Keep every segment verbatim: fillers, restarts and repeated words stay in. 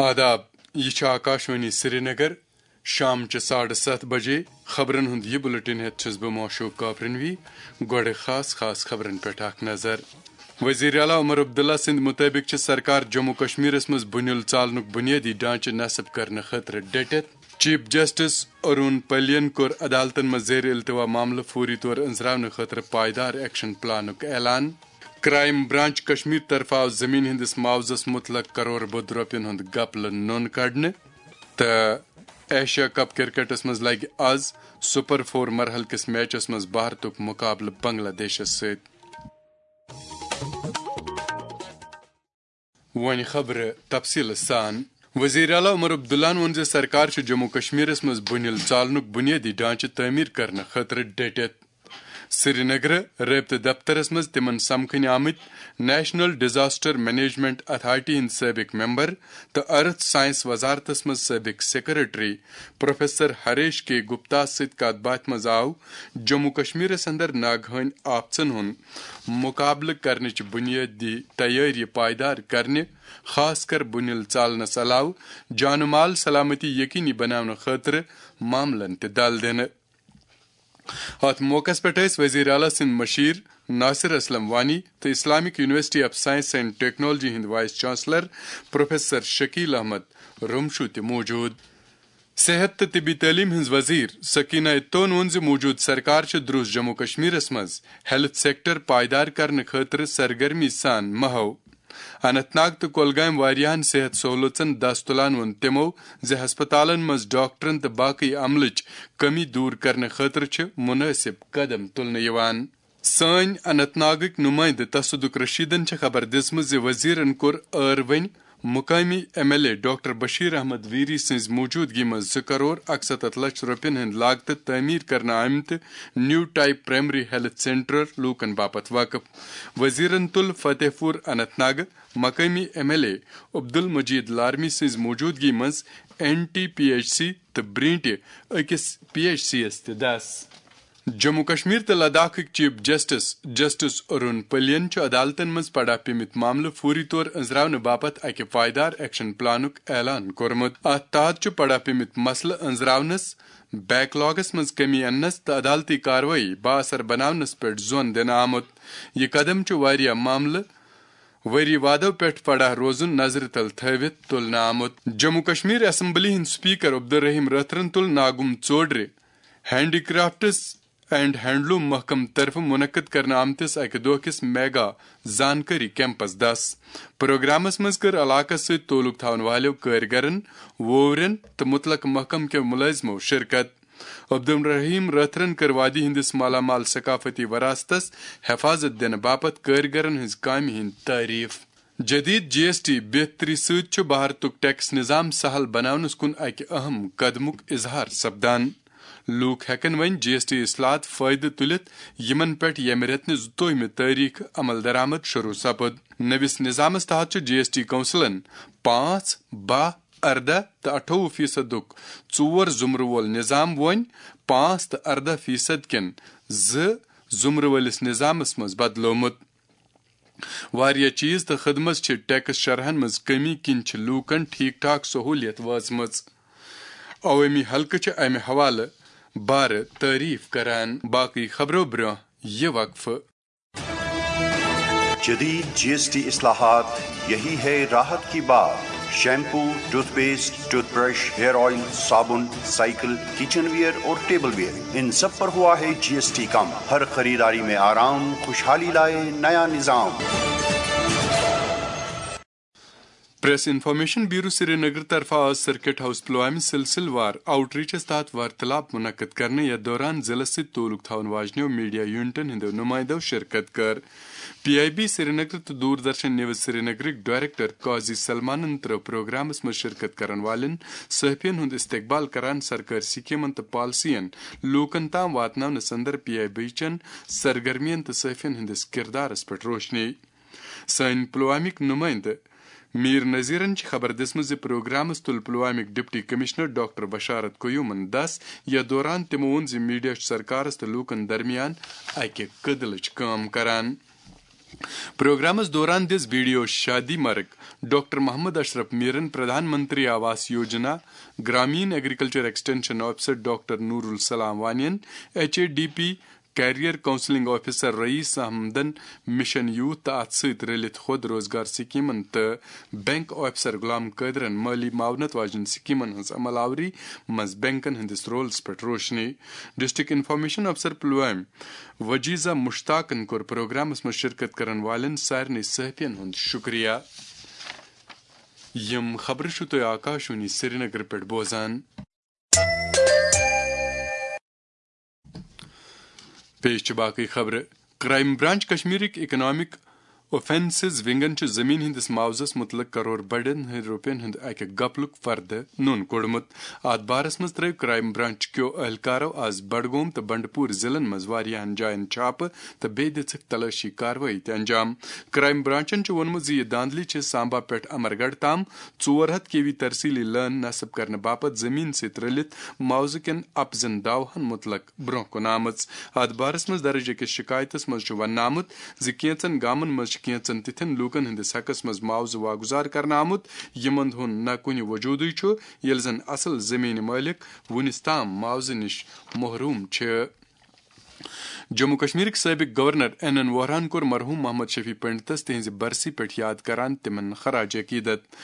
آداب، یہِ چھُ آکاشوانی سرینگر۔ شام چہِ ساڑٕ ستھ بجے خبرن ہُنٛد یہِ بُلٹن ہٮ۪تھ چھُس بہٕ معشوق کافرنوی۔ گۄڈٕ خاص خاص خبرن پٮ۪ٹھ اکھ نظر۔ وزیر اعلیٰ عمر عبداللہ سٕنٛدِ مُطٲبِق چھِ سرکار جموں کشمیرس منٛز بُنیُل ژالنُک بُنیٲدی ڈھانچہٕ نصب کرنہٕ خٲطرٕ ڈٔٹِتھ۔ چیف جسٹس ارون پلین کوٚر عدالتن منٛز زیر التوا معاملہٕ فوری طور أنزراونہٕ خٲطرٕ پائیدار ایکشن پلانُک اعلان۔ کرائم برانچ کشمیر طرفہٕ آو زمین ہٕنٛدِس معاوضس متعلق کرور بوٚد رۄپین ہُنٛد گپلہٕ نوٚن کڑنہٕ۔ تہٕ ایشیا کپ کرکٹس منٛز لگہِ آز سپر فور مرحلہٕ کِس میچس منٛز بھارتُک مقابلہٕ بنگلہ دیشس سۭتۍ۔ وۄنۍ خبرٕ تفصیٖلہٕ سان۔ وزیر اعلیٰ عمر عبداللہن ووٚن زِ سرکار چھِ جموں کشمیرس منٛز بُنیُل ژالنُک بُنیٲدی ڈھانچہٕ تعمیٖر کرنہٕ خٲطرٕ ڈٔٹِتھ۔ سرینگرٕ رٲبطہٕ دفترس منٛز تِمن سمکھٕنۍ آمٕتۍ نیشنل ڈیزاسٹر مینجمنٹ اتھارٹی ہٕنٛدۍ سٲبق ممبر تہٕ ارتھ سائنس وزارتس منٛز سٲبق سیکرٹری پروفیسر ہریش کے گپتا سۭتۍ کتھ باتھِ منٛز آو جموں کشمیرس اندر ناگہٲنی آفژن ہُنٛد مقابلہٕ کرنٕچ بُنیٲدی تیٲری پائیدار کرنہِ، خاص کر بُنیُل ژالنس علاوٕ جان و مال سلامتی یقینی بناونہٕ خٲطرٕ معاملن تہِ دل دِنہٕ۔ اتھ موقعس پٮ۪ٹھ ٲسۍ وزیر اعلیٰ سٕنٛدۍ مشیر ناصر اسلم وانی تہٕ Islamic university of science and technology ہٕنٛدۍ vice chancellor professor Shakeel Ahmad Ramshoo تہِ موجود۔ صحت تہٕ طبی تعلیٖم ہٕنٛز وزیر سکینہ اتون ووٚن زِ موجودٕ سرکار چھِ دروس جموں کشمیرس منٛز ہیلتھ سیکٹر پائیدار کرنہٕ خٲطرٕ سرگرمی سان محو۔ اننت ناگ تہٕ کولگامہِ واریاہن صحت سہولژن دس تُلان ووٚن تِمو زِ ہسپتالن منٛز ڈاکٹرن تہٕ باقٕے عملٕچ کمی دور کرنہٕ خٲطرٕ چھِ مُنٲسِب قدم تُلنہٕ یِوان۔ سٲنۍ اننت ناگٕکۍ نُمٲیندٕ تصدق رشیدن چھِ خبر دِژمٕژ زِ وزیرن کوٚر ٲروٕنۍ مقٲمی M L A doctor Bashir Ahmad Veeri سٕنٛزِ موجودگی منٛز زٕ کرور اکستتھ لچھ رۄپین ہٕنٛدِ لاگتہٕ تعمیٖر کرنہٕ آمتہِ نیو ٹائپ پرائمری ہیلتھ سینٹر لوٗکن باپتھ وقف۔ وزیرن تُل فتح پور اننت ناگہٕ مقٲمی M L A Abdul Majid Larmi سٕنٛزِ موجودگی منٛز N T P H C تہٕ برینٹہِ أکِس پی ایچ سی یَس تہِ دَس۔ جموں کشمیر تہٕ لداخٕکۍ چیف جسٹس، جسٹس ارون پلین چھُ عدالتن منٛز پڑا پیمٕتۍ معاملہٕ فوری طور أنزراونہٕ باپتھ اکہِ پائیدار ایکشن پلانُک اعلان کوٚرمُت۔ اتھ تحت چھُ پڑا پیمٕتۍ مسلہٕ أنزراونس، بیک لاگس منٛز کمی اننس تہٕ عدالتی کاروٲیی بااثر بناونس پٮ۪ٹھ زون دِنہٕ آمُت۔ یہِ قدم چھُ واریاہ معاملہٕ ؤری وادو پٮ۪ٹھ پڑا روزُن نظرِ تل تھٲوِتھ تُلنہٕ آمُت۔ جموں کشمیر اسمبلی ہٕنٛدۍ سپیکر عبدالرحیم رٲتھرن تُل ناگُم ژوڈرِ ہینڈی کرافٹس اینڈ ہینڈلوم محکمہٕ طرفہٕ منعقد کرنہٕ آمتِس اکہِ دۄہ کِس میگا زانکٲری کیمپس دَس۔ پروگرامس منٛز کٔر علاقس سۭتۍ تعلق تھاون والٮ۪و کٲرگرن، ووورٮ۪ن تہٕ متعلقہٕ محکمہٕ کٮ۪و مُلٲزمو شرکت۔ عبدالرحیم رٲتھرن کٔر وادی ہٕنٛدِس مالا مال ثقافتی وراثتس حفاظت دِنہٕ باپتھ کٲرگرن ہٕنٛز کامہِ ہٕنٛدۍ تعریف۔ جدید جی ایس ٹی بہتری سۭتۍ چھُ بھارتُک ٹیکس نظام سہل بناونس کُن اکہِ اہم قدمُک اظہار سپدان۔ لوٗکھ ہٮ۪کن وۄنۍ جی ایس ٹی اصلاحات فٲیدٕ تُلِتھ، یِمن پٮ۪ٹھ ییٚمہِ رٮ۪تہٕ نِش زٕتووُہمہِ تٲریخ عمل درآمد شروع سپُد۔ نٔوِس نظامس تحت چھُ جی ایس ٹی کونسلن پانٛژھ، باہ، ارداہ تہٕ اَٹھووُہ فیصدُک ژور زمرٕ وول نظام وۄنۍ پانٛژھ تہٕ ارداہ فیصد کٮ۪ن زٕ زمرٕ وٲلِس نظامس منٛز بدلومُت۔ واریاہ چیز تہٕ خدمت چھِ ٹیکس شرحن منٛز کمی کِنۍ چھِ لوٗکن ٹھیک ٹھاک سہولیت وٲژمٕژ۔ عوٲمی حلقہٕ چھِ امہِ حوالہٕ بارٕ تعریف کران۔ باقٕے خبرو برٛونٛہہ یہِ وقفہٕ۔ جدید جی ایس ٹی اصلاحات، یہی ہے راحت کی بات۔ Shampoo, toothpaste, toothbrush, hair oil, صابن، سائیکل، کچن ویئر اور ٹیبل ویئر، ان سب پر ہوا ہے جی ایس ٹی کم۔ ہر خریداری میں آرام، خوشحالی لائے نیا نظام۔ پریس انفارمیشن بیورو سرینگر طرفہٕ آز سرکٹ ہاؤس پلوامہِ سلسلہٕ وار آؤٹ ریچس تحت وارتلاب منعقد کرنہٕ، یتھ دوران ضلعس سۭتۍ تعلق تھاون واجنیو میڈیا یونٹن ہٕنٛدیو نمایندو شرکت کٔر۔ پی آئی بی سرینگر تہٕ دوردرشن نیوز سرینگرٕکۍ ڈائریکٹر قاضی سلمانن ترٲو پروگرامس منٛز شرکت کرن والٮ۪ن صحافین ہُنٛد استقبال کران سرکٲرۍ سکیمن تہٕ پالیسین لوٗکن تام واتناونس اندر پی آئی بی چٮ۪ن سرگرمین تہٕ صحافین ہٕنٛدِس کردارس پٮ۪ٹھ روشنی۔ سٲنۍ پلوامٕکۍ نمٲیندٕ میر نذیرن چھِ خبر دِژمٕژ زِ پروگرامس تُل پلوامٕکۍ ڈپٹی کمشنر ڈاکٹر بشارت قیومن دس۔ یتھ دوران تِمو ووٚن زِ میڈیا چھُ سرکارس تہٕ لوٗکن درمیان اکہِ کٔدلٕچ کٲم کران۔ پروگرامس دوران دِژ B D O Shadi Marg doctor Mohammad Ashraf میرن، Pradhan Mantri Awas Yojana Gramin agriculture extension officer doctor Noor ul Islam وانین، H A D P career counselling officer Raees احمدن، مشن یوتھ تہٕ اتھ سۭتۍ رلِتھ خود روزگار سکیمن تہٕ بینک آفیسر غلام قٲدرن مٲلی معاونت واجٮ۪ن سکیمن ہٕنٛز عمل آوری منٛز بینکن ہٕنٛدِس رولس پٮ۪ٹھ روشنی۔ ڈسٹرکٹ انفارمیشن آفیسر پلوامہ وجیزہ مشتاقن کوٚر پروگرامس منٛز شرکت کرن والٮ۪ن سارنٕے صحافین ہُنٛد شکریہ۔ یِم خبرٕ چھِو تُہۍ آکاشوانی سرینگرٕ پٮ۪ٹھ بوزان۔ پیش چھِ باقٕے خبرٕ۔ کرائم برانچ کشمیرٕکۍ اکنامک اوفینسز ونگن چھُ زمین ہٕنٛدِس معاوضس مُتعلق کرور بڑٮ۪ن ہٕنٛدۍ رۄپین ہُنٛد اکہِ گپلُک فردٕ نوٚن کوٚڑمُت۔ اتھ بارس منٛز ترٲوۍ کرائم برانچ کیو اہلکارو آز بڈگوم تہٕ بنڈپور ضلعن منٛز واریاہن جاین چھاپہٕ تہٕ بیٚیہِ دِژٕکھ تلٲشی کاروٲیی تہِ انجام۔ کرائم برانچن چھُ ووٚنمُت زِ یہِ دھاندلی چھِ سامبا پٮ۪ٹھ امرگڑھ تام ژور ہتھ کے وی ترسیلی لٲن نصب کرنہٕ باپتھ زمین سۭتۍ رٔلِتھ معاوضہٕ کٮ۪ن اپزن دعوہن مُتعلق برونٛہہ کُن آمٕژ۔ اتھ بارس منٛز درج أکِس شکایتس منٛز چھُ وننہٕ آمُت زِ کینژن گامن منٛز چھِ کینژن تِتھٮ۪ن لوٗکن ہٕنٛدِس حقس منٛز معاوضہٕ واگُزار کرنہٕ آمُت، یِمن ہُنٛد نہ کُنہِ وجوٗدٕے چھُ، ییٚلہِ زن اصل زمینہِ مٲلک وُنِس تام معاوضہٕ نِش محروم چھِ۔ جموں کشمیرٕکۍ سٲبق گورنر این این ووہراہن کوٚر مرحوم محمد شفیع پنڈتس تِہنزِ برسی پٮ۪ٹھ یاد کران تِمن خراج عقیدت۔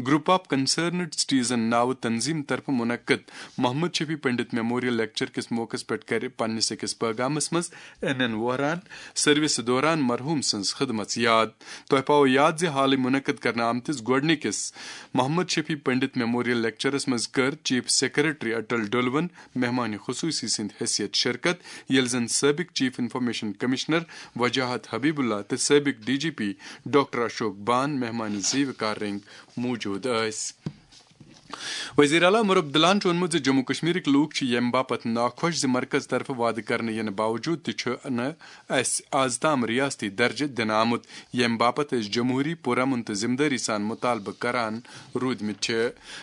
گروپ آف کنسرنڈ سٹیزن ناوٕ تنظیم طرفہٕ منعقد محمد شفیع پنڈت میموریل لیکچر کِس موقعس پٮ۪ٹھ کرِ پننِس أکِس پیغامس منٛز این این ووہراہن سروسہٕ دوران مرحوم سٕنٛز خدمژ یاد۔ تۄہہِ پاوو یاد زِ حالٕے منعقد کرنہٕ آمتِس گۄڈٕنِکِس محمد شفیع پنڈت میموریل لیکچرس منٛز کٔر چیف سیکرٹری اٹل ڈولون مہمان خصوصی سٕنٛدِ حیثیت شرکت، ییٚلہِ زن سٲبق chief information commissioner Wajahat Habib Ullah تہٕ سٲبق D G P doctor Ashok Bhan مہمان زیوِ کار رٔنگۍ موجود ٲسۍ۔ وزیر اعلیٰ عمر عبداللہن چھُ ووٚنمُت زِ جموں کشمیرٕکۍ لوٗکھ چھِ ییٚمہِ باپتھ ناخۄش زِ مرکز طرفہٕ وعدٕ کرنہٕ یِنہٕ باوجوٗد تہِ چھُ نہٕ اسہِ از تام ریاستی درجہٕ دِنہٕ آمُت، ییٚمہِ باپتھ أسۍ جمہوٗری، پُرامُن تہٕ ذمہٕ دٲری سان مُطالبہٕ کران روٗدمٕتۍ چھِ۔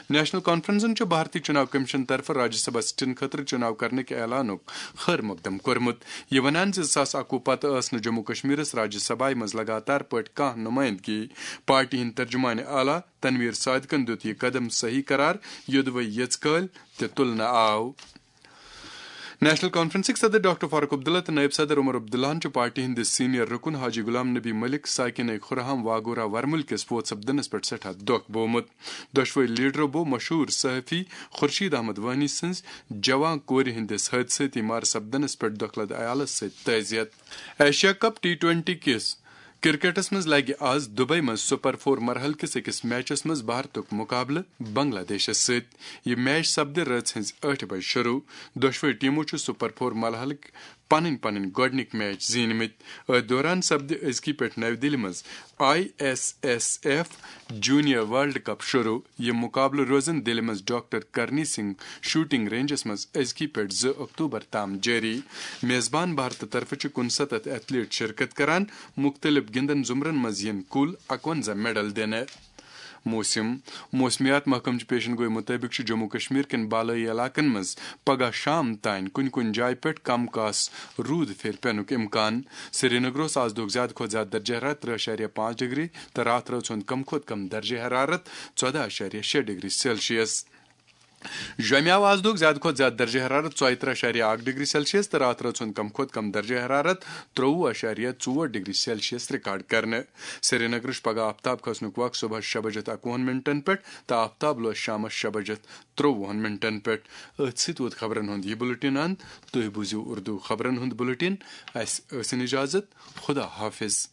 نیشنل کانفرنسن چھُ بھارتی چُناو کمیشن طرفہٕ راجیہ سبھا سیٹن خٲطرٕ چُناو کرنٕکۍ اعلانُک خٲر مقدم کوٚرمُت، یہِ ونان زِ زٕ ساس اَکوُہ پتہٕ ٲس نہٕ جموں کشمیرس راجیہ سبھایہ منٛز لگاتار پٲٹھۍ کانٛہہ نُمٲیندگی۔ پارٹی ہٕنٛدۍ ترجمان اعلیٰ تنویر صادقن دیُت یہِ قدم صحیح قرار، یوٚدوَے یٔژ کٲلۍ تہِ تُلنہٕ آو۔ نیشنل کانفرنسٕکۍ صدر ڈاکٹر فاروق عبداللہ تہٕ نائب صدر عمر عبداللہن چھُ پارٹی ہٕنٛدِس سینئر رکن حاجی غلام نبی ملک ساکن خرہام واگورہ ورمُلکِس فوت سپدنس پٮ۪ٹھ سٮ۪ٹھاہ دۄکھ بوومُت۔ دۄشوے لیڈرو بوو مشہوٗر صحافی خورشید احمد وانی سٕنٛز جوان کورِ ہٕنٛدِس حٲدثٲتی مارٕ سپدنس پٮ۪ٹھ دۄکھلد عیالس سۭتۍ تعزیت۔ ایشیا کپ ٹی ٹوینٹی کِس کرکٹس منٛز لگہِ آز دبئی منٛز سپر فور مرحلہٕ کِس أکِس میچس منٛز بھارتُک مقابلہٕ بنگلہ دیشس سۭتۍ۔ یہِ میچ سپدِ رٲژ ہٕنٛزِ ٲٹھِ بجہِ شروع۔ دۄشوے ٹیمو چھِ سپر فور مرحلٕکۍ پنٕنۍ پنٕنۍ گۄڈٕنِکۍ میچ زیٖنمٕتۍ۔ أتھۍ دوران سپدِ أزکی پٮ۪ٹھ نَوِ دِلہِ منٛز I S S F junior world cup شروع۔ یِم مقابلہٕ روزن دِلہِ منٛز ڈاکٹر کرنی سنگھ شوٹنگ رینجس منٛز أزکی پٮ۪ٹھ زٕ اکتوبر تام جٲری۔ میزبان بھارتہٕ طرفہٕ چھِ کُنسَتتھ ایتھلیٹ شرکت کران، مُختٔلِف گِنٛدن زُمرن منٛز یِن کُل اَکوَنزاہ میڈل دِنہٕ۔ موسم۔ موسمیات محکمہٕ چہِ پیشن گوئی مُطٲبِق چھُ جموں کشمیر کٮ۪ن بالٲیی علاقن منٛز پگہہ شام تام کُنہِ کُنہِ جایہِ پٮ۪ٹھ کم کاس روٗد پھیرِ پینُک امکان۔ سرینگرس آز دۄہُک زیادٕ کھۄتہٕ زیادٕ درجہ حرارت ترٛہ اَشاریہ پانٛژھ ڈگری تہٕ راتھ رٲژ ہُنٛد کم کھۄتہٕ کم درجہ حرارت ژۄداہ اَشاریہ شےٚ ڈگری سیلسیس۔ جوٚمہِ آو آز دۄہُک زیادٕ کھۄتہٕ زیادٕ درجہ حرارت ژۄیہِ ترٕٛہ اَشاریہ اَکھ ڈگری سیلسیس تہٕ راتھ رٲژ ہُنٛد کم کھۄتہٕ کم درجہ حرارت ترٛوٚوُہ اَشاریہ ژور ڈگری سیلسیس ریکارڈ کرنہٕ۔ سرینگرٕ چھُ پگہہ آفتاب کھسنُک وق صبحس شےٚ بجے تہٕ اَکوُہن منٹن پٮ۪ٹھ تہٕ آفتاب لوس شامس شےٚ بجے ترٛوٚوُہن منٹن پٮ۪ٹھ۔ أتھۍ سۭتۍ ووت خبرن ہُنٛد یہِ بُلٹن اند۔ تُہۍ بوٗزِو اردو خبرن ہُنٛد بُلٹن۔ اسہِ ٲسِن اجازت۔ خدا حافظ۔